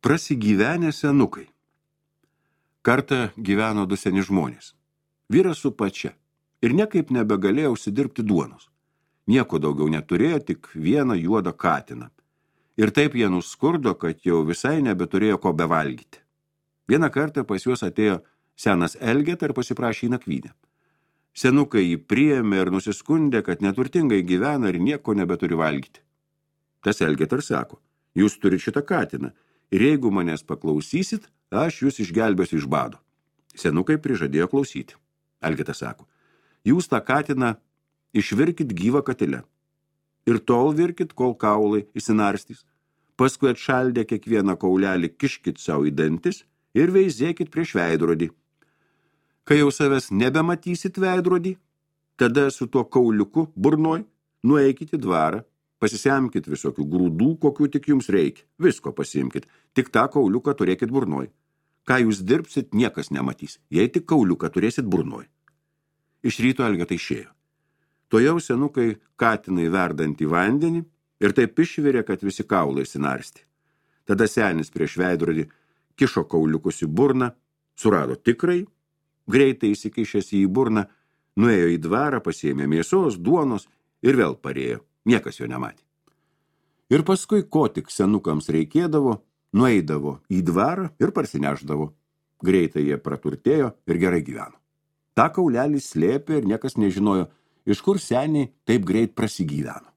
Prasigyvenę senukai. Kartą gyveno du seni žmonės. Vyras su pačia ir niekaip nebegalėjo užsidirbti duonos. Nieko daugiau neturėjo, tik vieną juodą katiną. Ir taip jie nuskurdo, kad jau visai nebeturėjo ko bevalgyti. Vieną kartą pas juos atėjo senas Elgeta ir pasiprašė į nakvynę. Senukai jį priėmė ir nusiskundė, kad neturtingai gyvena ir nieko nebeturi valgyti. Tas Elgeta ir sako, jūs turite šitą katiną ir jeigu manęs paklausysit, aš jūs išgelbėsiu iš bado. Senukai prižadėjo klausyti. Elgeta sako, jūs tą katiną išvirkit gyvą katile ir tol virkit, kol kaulai išsinarstys. Paskui atšaldę kiekvieną kaulelį kiškit savo į dantis ir veizėkit prieš veidrodį. Kai jau savęs nebematysit veidrodį, tada su tuo kauliuku burnoj nueikit į dvarą, pasisemkit visokių grūdų, kokių tik jums reikia. Visko pasiimkit, tik tą kauliuką turėkit burnoj. Ką jūs dirbsit, niekas nematys, jei tik kauliuką turėsit burnoj. Iš ryto Elgeta išėjo. Tojau senukai katinai verdant į vandenį ir taip išvirė, kad visi kaulai sinarsti. Tada senis prieš veidrodį kišo kauliukus į burną, surado tikrai, greitai įsikišęs į burną, nuėjo į dvarą, pasiėmė mėsos, duonos ir vėl parėjo. Niekas jo nematė. Ir paskui, ko tik senukams reikėdavo, nueidavo į dvarą ir parsineždavo. Greitai jie praturtėjo ir gerai gyveno. Ta kaulelį slėpė ir niekas nežinojo, iš kur seniai taip greit prasigyveno.